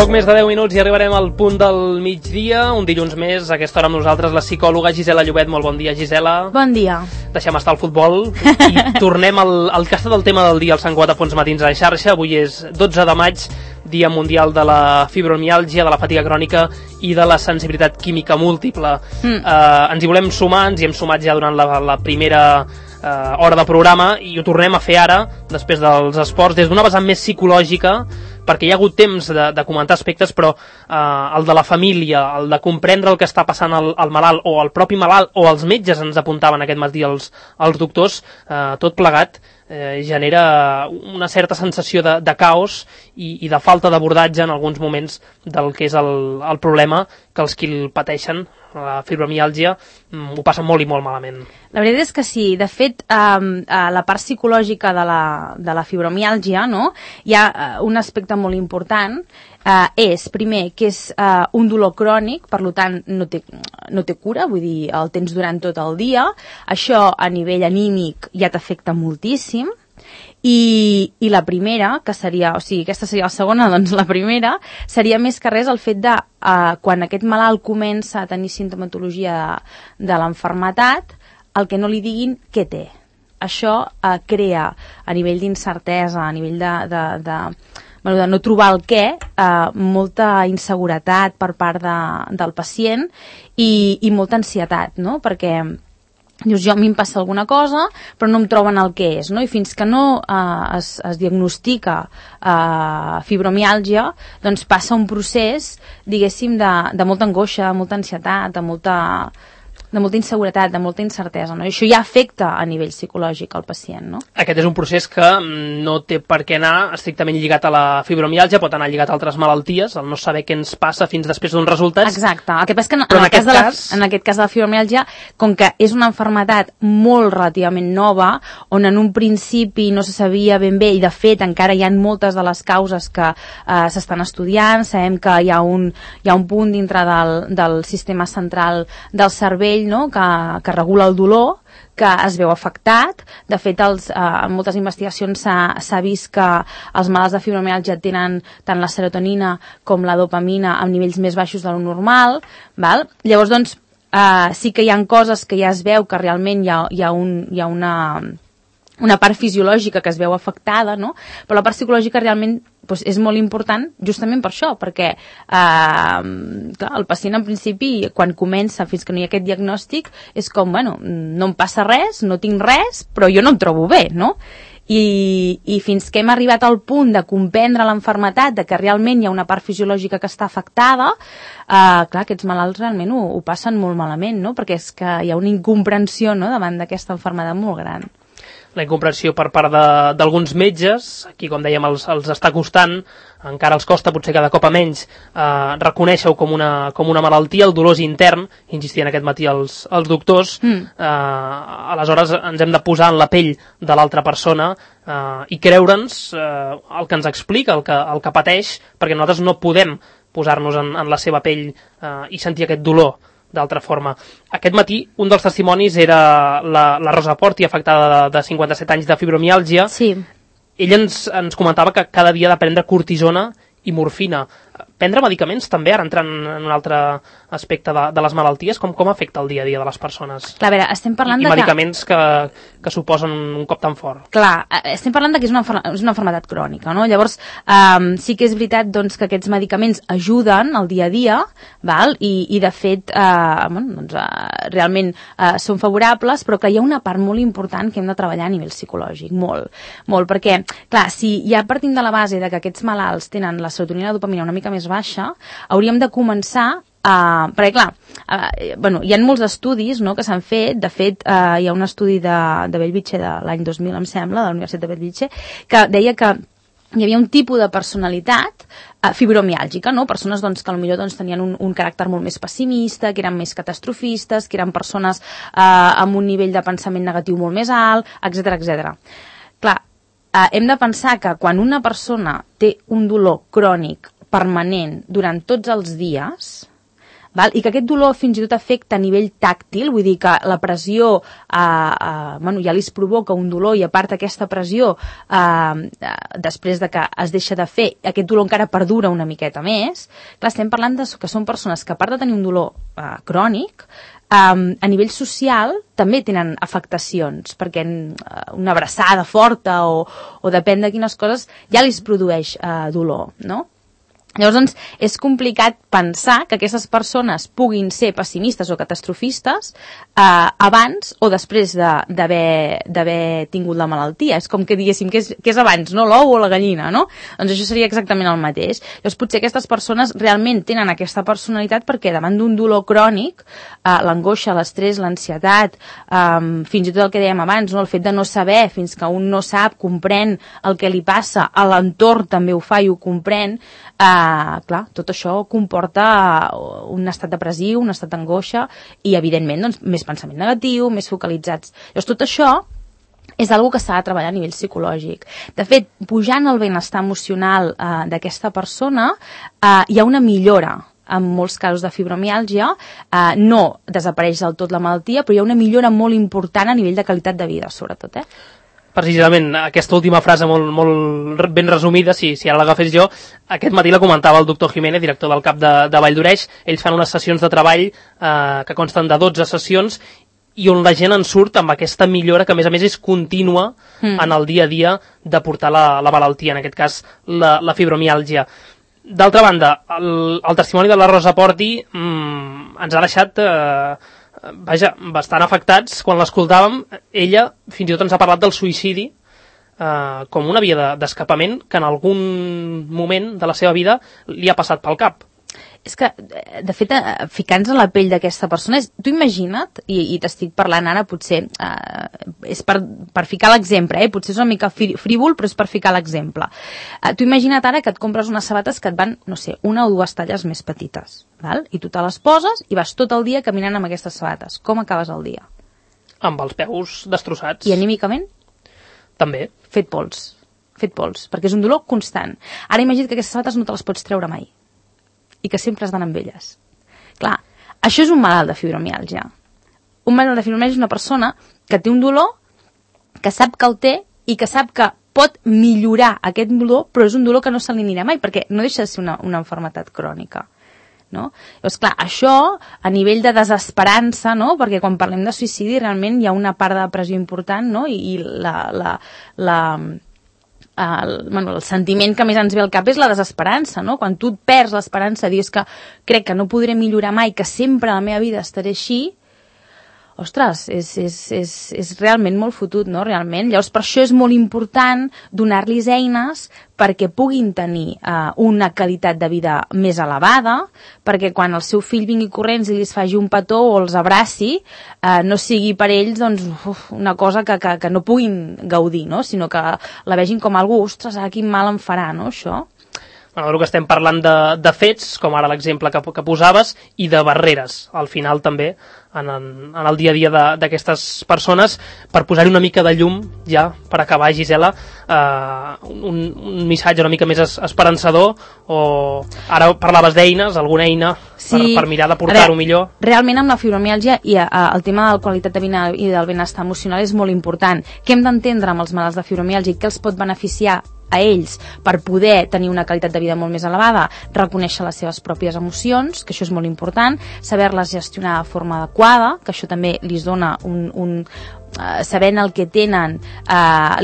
Poc més de 10 minuts i arribarem al punt del migdia, un dilluns més, a aquesta hora amb nosaltres la psicòloga Gisela Llobet. Molt bon dia, Gisela. Bon dia. Deixem estar el futbol i tornem al que ha estat el tema del dia, al Sant Cugat a Fons Matins a xarxa. Avui és 12 de maig, Dia Mundial de la Fibromiàlgia, de la fatiga crònica i de la sensibilitat química múltiple. Ens hi volem sumar, ens hi hem sumat ja durant la primera hora de programa i ho tornem a fer ara, després dels esports, des d'una vessant més psicològica, perquè hi ha hagut temps de comentar aspectes, però el de la família, el de comprendre el que està passant al malalt, o el propi malalt, o els metges ens apuntaven aquest matí els doctors, tot plegat genera una certa sensació de caos i de falta d'abordatge en alguns moments del que és el problema, que els qui el pateixen, la fibromiàlgia, ho passen molt i molt malament. La veritat és que sí. De fet, la part psicològica de la fibromiàlgia, no? Hi ha un aspecte molt important, és, primer, que és un dolor crònic, per tant no té cura, vull dir, el tens durant tot el dia. Això a nivell anímic ja t'afecta moltíssim. I la primera, que seria, o sigui, aquesta seria la segona, doncs la primera, seria més que res el fet de, quan aquest malalt comença a tenir simptomatologia de l'enfermetat, el que no li diguin què té. Això crea, a nivell d'incertesa, a nivell de no trobar el què, molta inseguretat per part del pacient i molta ansietat, no? Perquè dius, a mi em passa alguna cosa, però no em troben el que és, no? I fins que no es diagnostica fibromiàlgia, doncs passa un procés, diguéssim, de molta angoixa, de molta ansietat, de molta inseguretat, de molta incertesa, no? I això ja afecta a nivell psicològic al pacient, no? Aquest és un procés que no té per què anar estrictament lligat a la fibromiàlgia, pot anar lligat a altres malalties, el no saber què ens passa fins després d'uns resultats. Exacte. El que passa és que en aquest cas de la fibromiàlgia, com que és una malaltia molt relativament nova, on en un principi no se sabia ben bé, i de fet encara hi ha moltes de les causes que s'estan estudiant, sabem que hi ha un punt dintre del sistema central del cervell, no? que regula el dolor, que es veu afectat. De fet, en moltes investigacions s'ha vist que els malalts de fibromiàlgia tenen tant la serotonina com la dopamina a nivells més baixos de lo normal, val? Llavors, doncs, sí que hi ha coses que ja es veu que realment hi ha una part fisiològica que es veu afectada, no? Però la part psicològica realment doncs, és molt important justament per això, perquè clar, el pacient en principi, quan comença fins que no hi ha aquest diagnòstic, és com, bueno, no em passa res, no tinc res, però jo no em trobo bé, no? I fins que hem arribat al punt de comprendre l'enfermetat, de que realment hi ha una part fisiològica que està afectada, clar, aquests malalts realment ho passen molt malament, no? Perquè és que hi ha una incomprensió, no?, davant d'aquesta malaltia molt gran. La incomprensió per part d'alguns metges, aquí com dèiem els està costant, encara els costa potser cada cop a menys reconèixer-ho com una malaltia, el dolor és intern, insistien aquest matí els doctors, aleshores ens hem de posar en la pell de l'altra persona i creure'ns el que ens explica, el que pateix, perquè nosaltres no podem posar-nos en la seva pell i sentir aquest dolor d'altra forma. Aquest matí, un dels testimonis era la Rosa Porti, afectada de 57 anys de fibromiàlgia. Sí. Ella ens comentava que cada dia ha de prendre cortisona i morfina. Prendre medicaments també, ara entrant en un altre aspecte de les malalties, com afecta el dia a dia de les persones? Clar, a veure, estem parlant I medicaments que suposen un cop tan fort. Clar, estem parlant que és una malaltia crònica, no? Llavors, sí que és veritat doncs, que aquests medicaments ajuden al dia a dia, val? I de fet, realment són favorables, però que hi ha una part molt important que hem de treballar a nivell psicològic, molt, perquè, clar, si ja partim de la base de que aquests malalts tenen la serotonina i la dopamina una mica més baixa, hauríem de començar perquè clar, hi ha molts estudis, no, que s'han fet. De fet, hi ha un estudi de Bellvitge de l'any 2000, em sembla, de la Universitat de Bellvitge, que deia que hi havia un tipus de personalitat fibromiàlgica, no? Persones doncs, que potser doncs, tenien un caràcter molt més pessimista, que eren més catastrofistes, que eren persones amb un nivell de pensament negatiu molt més alt, etc. Clar, hem de pensar que quan una persona té un dolor crònic permanent durant tots els dies, val? I que aquest dolor fins i tot afecta a nivell tàctil, vull dir que la pressió ja li provoca un dolor i a part aquesta pressió després de que es deixa de fer, aquest dolor encara perdura una miqueta més. Clar, estem parlant que són persones que a part de tenir un dolor crònic, a nivell social també tenen afectacions, perquè una abraçada forta o depèn de quines coses ja li produeix dolor, no? Llavors, doncs, és complicat pensar que aquestes persones puguin ser pessimistes o catastrofistes abans o després d'haver tingut la malaltia. És com que diguéssim, què és abans, no? L'ou o la gallina, no? Doncs això seria exactament el mateix. Llavors, potser aquestes persones realment tenen aquesta personalitat perquè davant d'un dolor crònic, l'angoixa, l'estrès, l'ansietat, fins i tot el que dèiem abans, no? El fet de no saber, fins que un no sap, comprèn el que li passa, a l'entorn també ho fa i ho comprèn, clar, tot això comporta un estat depressiu, un estat d'angoixa i, evidentment, doncs, més pensament negatiu, més focalitzats. Llavors, tot això és una cosa que s'ha de treballar a nivell psicològic. De fet, pujant el benestar emocional d'aquesta persona, hi ha una millora en molts casos de fibromiàlgia, no desapareix del tot la malaltia, però hi ha una millora molt important a nivell de qualitat de vida, sobretot, Precisament aquesta última frase molt ben resumida, si ara l'agafés jo, aquest matí la comentava el doctor Jiménez, director del CAP de Vall d'Oreix. Ells fan unes sessions de treball que consten de 12 sessions i on la gent en surt amb aquesta millora que a més és contínua en el dia a dia de portar la malaltia, en aquest cas la fibromiàlgia. D'altra banda, el testimoni de la Rosa Porti ens ha deixat bastant afectats. Quan l'escoltàvem, ella fins i tot ens ha parlat del suïcidi com una via d'escapament que en algun moment de la seva vida li ha passat pel cap. És que, de fet, ficant-nos a la pell d'aquesta persona, tu imagina't, i t'estic parlant ara, potser, és per ficar l'exemple, potser és una mica frívol, però és per ficar l'exemple. Tu imagina't ara que et compres unes sabates que et van, no sé, una o dues talles més petites, val? I tu te les poses i vas tot el dia caminant amb aquestes sabates. Com acabes el dia? Amb els peus destrossats. I anímicament? També. Fet pols, perquè és un dolor constant. Ara imagina't que aquestes sabates no te les pots treure mai i que sempre has d'anar amb elles. Clar, això és un malalt de fibromiàlgia. Un malalt de fibromiàlgia és una persona que té un dolor, que sap que el té i que sap que pot millorar aquest dolor, però és un dolor que no se li anirà mai, perquè no deixa de ser una malaltia crònica. No? Llavors, clar, això a nivell de desesperança, no? Perquè quan parlem de suïcidi realment hi ha una part de depressió important, no? I el sentiment que més ens ve al cap és la desesperança, no? Quan tu et perds l'esperança, dius que crec que no podré millorar mai, que sempre a la meva vida estaré així, ostres, és realment molt fotut, no? Realment. Llavors, per això és molt important donar-los eines perquè puguin tenir una qualitat de vida més elevada, perquè quan el seu fill vingui corrents i li faci un petó o els abraci, no sigui per ells doncs, una cosa que no puguin gaudir, no? Sinó que la vegin com algú, ostres, ara quin mal em farà, no, això? Bueno, el que estem parlant de fets, com ara l'exemple que posaves, i de barreres, al final també, en el dia a dia d'aquestes persones, per posar-hi una mica de llum, ja, per acabar, Gisela, un missatge una mica més esperançador, o ara parlaves d'eines, alguna eina per mirar de portar-ho millor? Realment amb la fibromiàlgia i el tema de la qualitat de vida i del benestar emocional és molt important. Què hem d'entendre amb els malalts de fibromiàlgia i què els pot beneficiar a ells per poder tenir una qualitat de vida molt més elevada? Reconèixer les seves pròpies emocions, que això és molt important, saber-les gestionar de forma adequada, que això també li dona sabent el que tenen,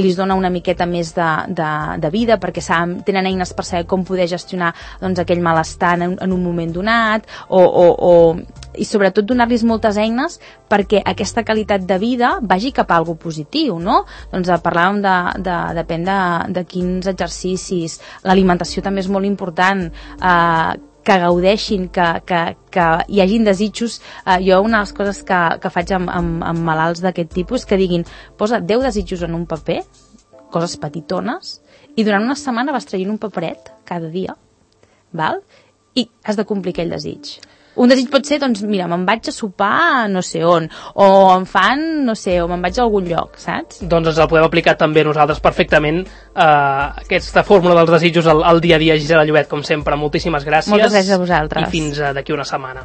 li dona una miqueta més de vida, perquè tenen eines per saber com poder gestionar doncs, aquell malestar en un moment donat, i sobretot donar-los moltes eines perquè aquesta qualitat de vida vagi cap a algo positiu, no? Doncs parlàvem depèn de quins exercicis, l'alimentació també és molt important, que gaudeixin, que hi hagin desitjos. Jo una de les coses que faig amb malalts d'aquest tipus que diguin, posa 10 desitjos en un paper, coses petitones, i durant una setmana vas traient un paperet cada dia, val? I has de complir aquell desig. Un desig pot ser, doncs, mira, me'n vaig a sopar no sé on, o em fan, no sé, o me'n vaig a algun lloc, saps? Doncs ens el podem aplicar també nosaltres perfectament, aquesta fórmula dels desitjos al dia a dia. Gisela Llobet, com sempre, moltíssimes gràcies. Moltes gràcies a vosaltres. I fins d'aquí una setmana.